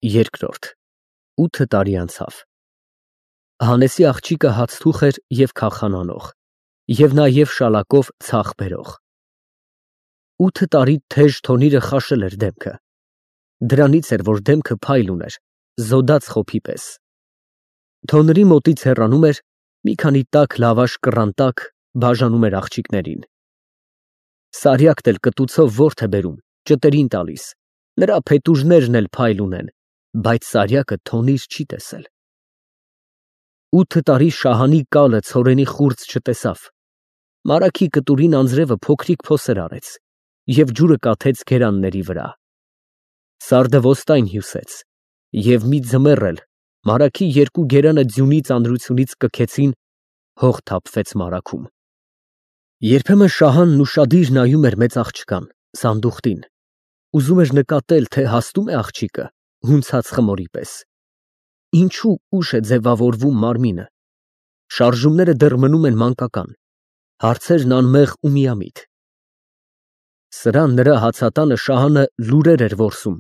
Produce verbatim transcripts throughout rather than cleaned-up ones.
Երկրորդ ութ տարի անցավ։ Հանեսի աղջիկը հացթուխ էր և քախան անող, և նաև շալակով ցախ բերող։ Ութ տարի թեժ թոնիրը խաշել էր դեմքը, դրանից էր, որ դեմքը փայլ ուներ, զոդած խոփի պես։ Թոնրի մոտից հեռանում էր, մի քանի տաք լավաշ կռան տակ բաժանում էր աղջիկներին։ Սարյակն էլ կտուցով ворթ է բերում, ճտերին տալիս, նրա փետուրներն էլ փայլ ունեն, բայց Սարյակը թոնիր չի տեսել։ Ութ տարի Շահանի կալը ցորենի խուրձ չտեսավ, մարագի կտուրին անձրևը փոքրիկ փոսեր արեց և ջուրը կաթեց գերանների վրա։ Սարդը ոստայն հյուսեց, և մի ձմեռ էլ մարագի երկու գերանը ձյունի ծանրությունից կքեցին, հող թափվեց մարագում։ Երբեմն Շահանն ուշադիր նայում էր մեծ աղջկան, սանդուղտին, ուզում էր նկատել, թե հաստո՞ւմ է աղջիկը, հունցած խմորի պես, ինչու ուշ է ձևավորվում մարմինը, շարժումները դեռ մնում են մանկական, հարցերն անմեղ ու միամիտ։ Սրան նրա հացատանը Շահանը լուրեր էր որսում,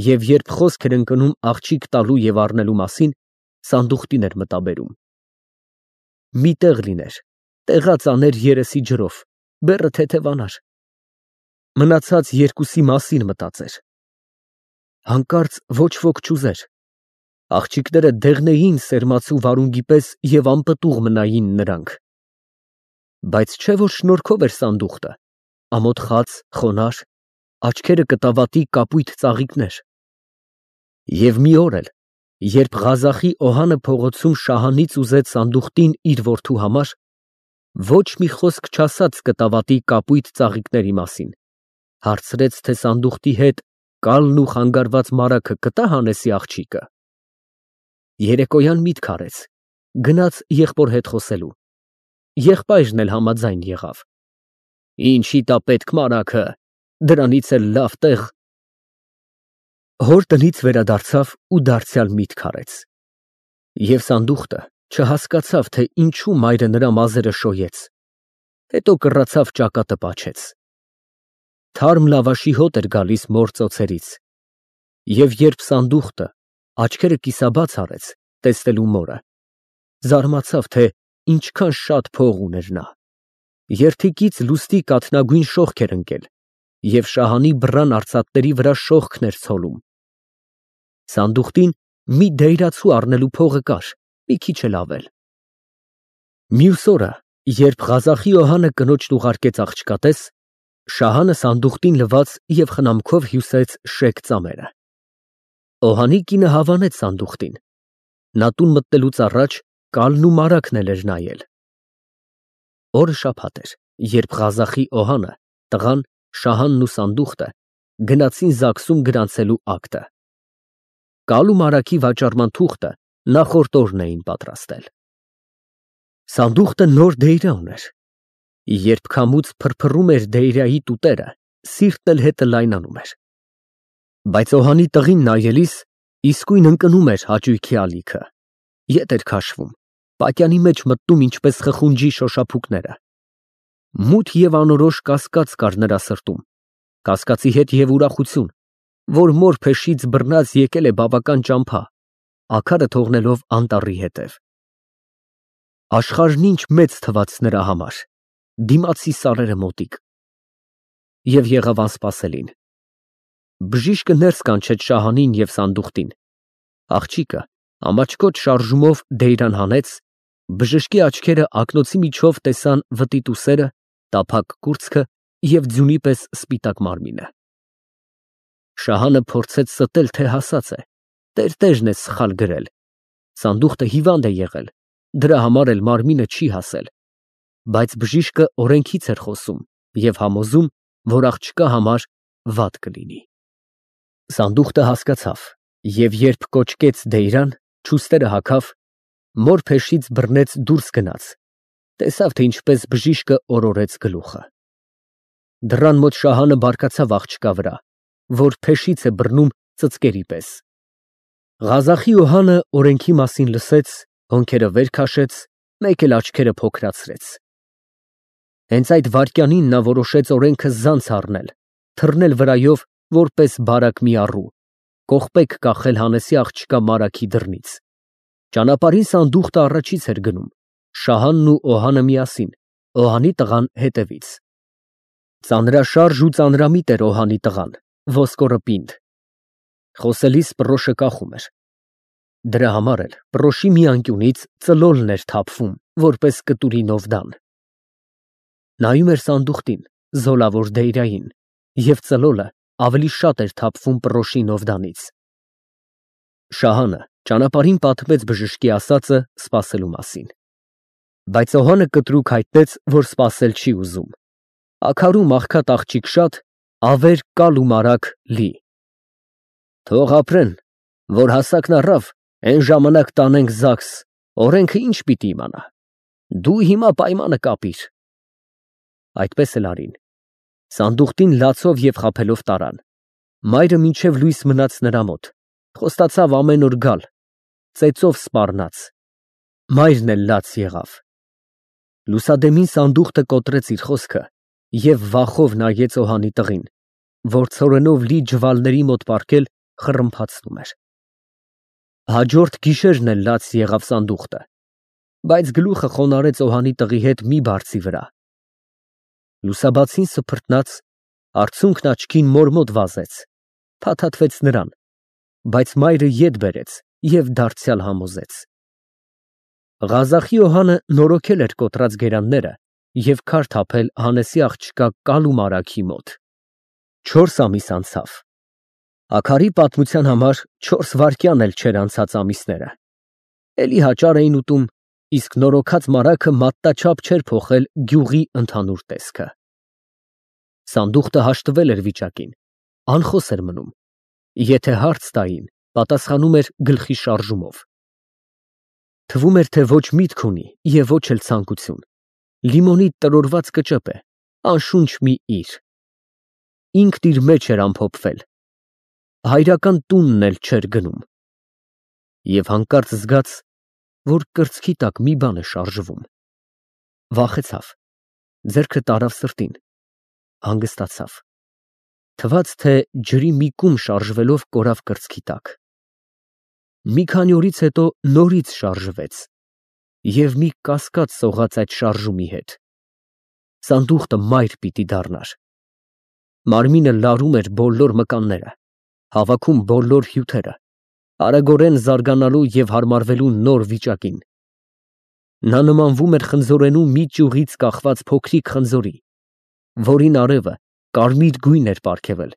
և երբ խոսք էր ընկնում աղջիկ տալու և առնելու մասին, սանդուղտին էր մտաբերում։ Մի տեղ լիներ, տեղած աներ երեսի ջրով, բեռը թեթևանար, մնացած երկուսի մասին մտածեր։ Հանկարծ ոչ ոք չուզեր, աղջիկները դեղնեին սերմացու վարունգի պես և անպտուղ մնային նրանք։ Բայց չէ՞ որ շնորհքով էր սանդուղտը, ամոթխած, խոնարհ, աչքերը կտավատի կապույտ ծաղիկներ։ Եվ մի օր էլ, երբ Ղազախի Օհանը փողոցում Շահանից ուզեց սանդուղտին իր որդու համար, ոչ մի խոսք չասաց կտավատի կապույտ ծաղիկների մասին, հարցրեց, թե սանդուղտի հետ կալն ու խանգարված մարագը կտա՞ Հանեսի աղջիկը։ Երեկոյան միտք արեց, գնաց եղբոր հետ խոսելու, եղբայրն էլ համաձայն եղավ։ Ինչի տա պետք մարագը, դրանից էլ լավ տեղ։ Հոր տնից վերադարձավ ու դարձյալ միտք արեց։ Եվ սանդուղտը չհասկացավ, թե ինչու մայրը նրա մազերը շոյեց, հետո կռացավ ճակատը պաչեց։ Թարմ լավաշի հոտ էր գալիս մոր ծոցերից, և երբ սանդուղտը աչքերը կիսաբաց արեց, տեսնելու մորը, զարմացավ, թե ինչքան շատ փող ուներ նա։ Երդիկից լուստի կաթնագույն շողք էր ընկել, և Շահանի բռան արծաթների վրա շողքն էր ցոլում։ Սանդուղտին մի դայրացու առնելու փողը կար, մի քիչ էլ ավել։ Մյուս օրը, երբ Ղազախի Օհանը կնոջն ուղարկեց աղջկատես, Շահանը սանդուղտին լվաց և խնամքով հյուսեց շեկ ծամերը։ Օհանի կինը հավանեց սանդուղտին, նա տուն մտնելուց առաջ կալն ու մարագն էլ էր նայել։ Օրը շաբաթ էր, երբ Ղազախի Օհանը, տղան, Շահանն ու սանդուղտը գնացին ԶԱԳՍ֊ում գրանցելու ակտը։ Կալու մարագի վաճառման թուղթը նախորդ օրն էին պատրաստել։ Սանդուղտը նոր դեյրա ուներ։ Երբ քամուց փրփռում էր դեյրայի տուտերը, սիրտն էլ հետը լայնանում էր։ Բայց Օհանի տղին նայելիս իսկույն ընկնում էր հաճույքի ալիքը, ետ էր քաշվում, պատյանի մեջ մտնում ինչպես խխունջի շոշափուկները։ Մութ և անորոշ կասկած կար նրա սրտում, կասկածի հետ և ուրախություն, որ մոր փեշից բռնած եկել է բավական ճամփա, աքարը թողնելով անտառի հետև։ Աշխարհն ինչ մեծ թվաց նրա համար, դիմացի սարերը մոտիկ։ Եվ եղավ անսպասելին։ Բժիշկը ներս կանչեց Շահանին և սանդուղտին։ Աղջիկը ամաչկոտ շարժումով դեյրան հանեց, բժշկի աչքերը ակնոցի միջով տեսան վտիտուսերը, տափակ կուրծքը և ձյունի պես սպիտակ մարմինը։ Շահանը փորձեց ստել, թե հասած է, տերտերն է սխալ գրել, սանդուղտը հիվանդ է եղել, դրա համար էլ մարմինը չի հասել, բայց բժիշկը օրենքից էր խոսում և համոզում, որ աղջկա համար վատ կլինի։ Սանդուղտը հասկացավ, և երբ կոչկեց դեյրան, չուստերը հագավ, մոր փեշից բռնեց դուրս գնաց, տեսավ, թե ինչպես բժիշկը օրորեց գլուխը։ Դռան մոտ Շահանը բարկացավ աղջկա վրա, որ փեշից է բռնում ծծկերի պես։ Ղազախի Օհանը օրենքի մասին լսեց, հոնքերը վեր քաշեց, մեկ էլ աչքերը փոքրացրեց։ Հենց այդ վայրկյանին նա որոշեց օրենքը զանց առնել, թռնել վրայով, որպես բարակ մի առու, կողպեկ կախել Հանեսի աղջկա Մարաքի դռնից։ Ճանապարհին սանդուղքը առաջից էր գնում, Շահանն ու Օհանը միասին, Օհանի տղան հետևից։ Ծանրաշարժ ու ծանրամիտ էր Օհանի տղան, ոսկորը պինդ։ Խոսելիս պռոշը կախում էր։ Դրա համար էլ պռոշի մի անկյունից ծլոլն էր թափվում, որպես կտուրի նովդան։ Նայում էր սանդուղքին, զոլավոր դեյրային, և ծլոլը ավելի շատ էր թափվում պռոշի նովդանից։ Շահանը ճանապարհին պատմեց բժշկի ասածը սպասելու մասին։ Բայց Օհանը կտրուկ հայտնեց, որ սպասել չի ուզում։ Աքարում աղքատ աղջիկ շատ, ավեր կալ ու մարակ լի։ Թող ապրեն, որ հասակն առավ, այն ժամանակ տանենք ԶԱԳՍ, օրենքը ինչ պիտի իմանա։ Դու հիմա պայմանը կապիր։ Այդպես էլ արին։ Սանդուղքին լացով և խաբելով տարան։ Մայրը մինչև լույս մնաց նրա մոտ, խոստացավ ամեն օր գալ, ծեծով սպառնաց։ Մայրն էլ լաց եղավ։ Լուսադեմին սանդուղքը կոտրեց իր խոսքը և վախով նայեց Օհանի տղին, որ ցորենով լի ջվալների մոտ պառկել խռմփացնում էր։ Հաջորդ գիշերն էլ լաց եղավ սանդուղքը, բայց գլուխը խոնարհեց Օհանի տղի հետ մի բարձի վրա։ Լուսաբացին սփռտնաց, արցունքն աչքին մոր մոտ վազեց, փաթաթվեց նրան, բայց մայրը ետ բերեց և դարձյալ համոզեց։ Ղազախի Օհանը նորոգել էր կոտրած գերանները և քար թափել Հանեսի աղջկա Կալու Մարաքի մոտ։ Չորս ամիս անցավ։ Աքարի պատմության համար չորս վայրկյան էլ չէր անցած ամիսները։ Էլի հաճար էին ուտում, իսկ նորոգած մարաքը մատնաչափ չէր փոխել գյուղի ընդհանուր տեսքը։ Սանդուղքը հաշտվել էր վիճակին, անխոս էր մնում։ Եթե հարց տային, պատասխանում էր գլխի շարժումով։ Թվում էր, թե ոչ միտք ունի և ոչ էլ ցանկություն։ Լիմոնի տրորված կճեպ է, անշունչ մի իր։ Ինքն իր մեջ էր ամփոփվել։ Հայրական տունն էլ չէր գնում։ Եվ հանկարծ զգաց, որ կրծքի տակ մի բան է շարժվում։ Վախեցավ, ձեռքը տարավ սրտին, հանգստացավ։ Թվաց, թե ջրի մի կում շարժվելով կորավ կրծքի տակ։ Մի քանի օրից հետո նորից շարժվեց և մի կասկած սողաց այդ շարժումի հետ։ Սանդուղքը մայր պիտի դառնար։ Մարմինը լարում էր բոլոր մկանները, հավաքում բոլոր հյութերը, արագորեն զարգանալու և հարմարվելու նոր վիճակին։ Նա նմանվում էր խնձորենու մի ճյուղից կախված փոքրիկ խնձորի, որին արևը կարմիր գույն էր պարգևել,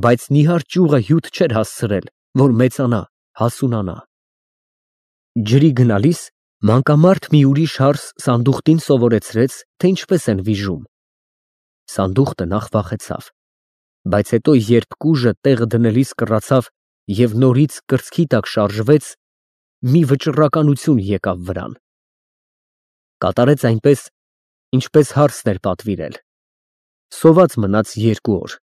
բայց նիհար ճյուղը հյութ չէր հասցրել, որ մեծանա, հասունանա։ Ջրի գնալիս մանկամարդ մի ուրիշ հարս սանդուղքին սովորեցրեց, թե ինչպես են վիժում։ Սանդուղքը նախ վախեցավ, բայց հետո երբ կուժը տեղը դնելիս կռացավ և նորից կրծքի տակ շարժվեց, մի վճռականություն եկավ վրան։ Կատարեց այնպես, ինչպես հարսն էր պատվիրել։ Սոված մնաց երկու օր։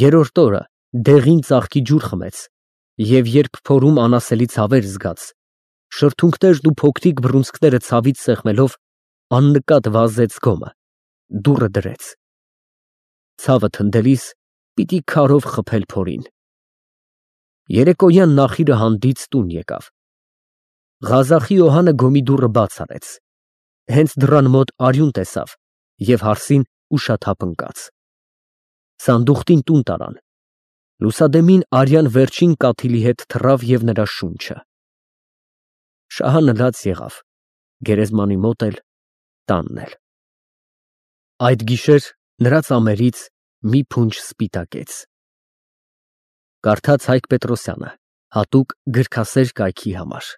Երրորդ օրը դեղին ծաղկի ջուր խմեց և երբ փորում անասելի ցավեր զգաց, շրթունքներն ու փոքրիկ բռունցքները ցավից սեղմելով, աննկատ վազեց գոմը, դուռը դրեց։ Ցավը թնդելիս պիտի քարով խփել փորին։ Երեկոյան նախիրը հանդիծ տուն եկավ։ Ղազախի Օհանը գոմի դուռը բաց արեց։ Հենց դռան մոտ արյուն տեսավ և հարսին ուշաթափ ընկած։ Սանդուղքին տուն տարան։ Լուսադեմին արյան վերջին կաթիլի հետ թռավ և նրա շունչը։ Շահանը լաց եղավ, գերեզմանի մոտ էլ, տանն էլ։ Այդ գիշեր նրա ծամերից մի փունջ սպիտակեց։ Կարդաց Հայկ Պետրոսյանը, հատուկ գրքասեր կայքի համար։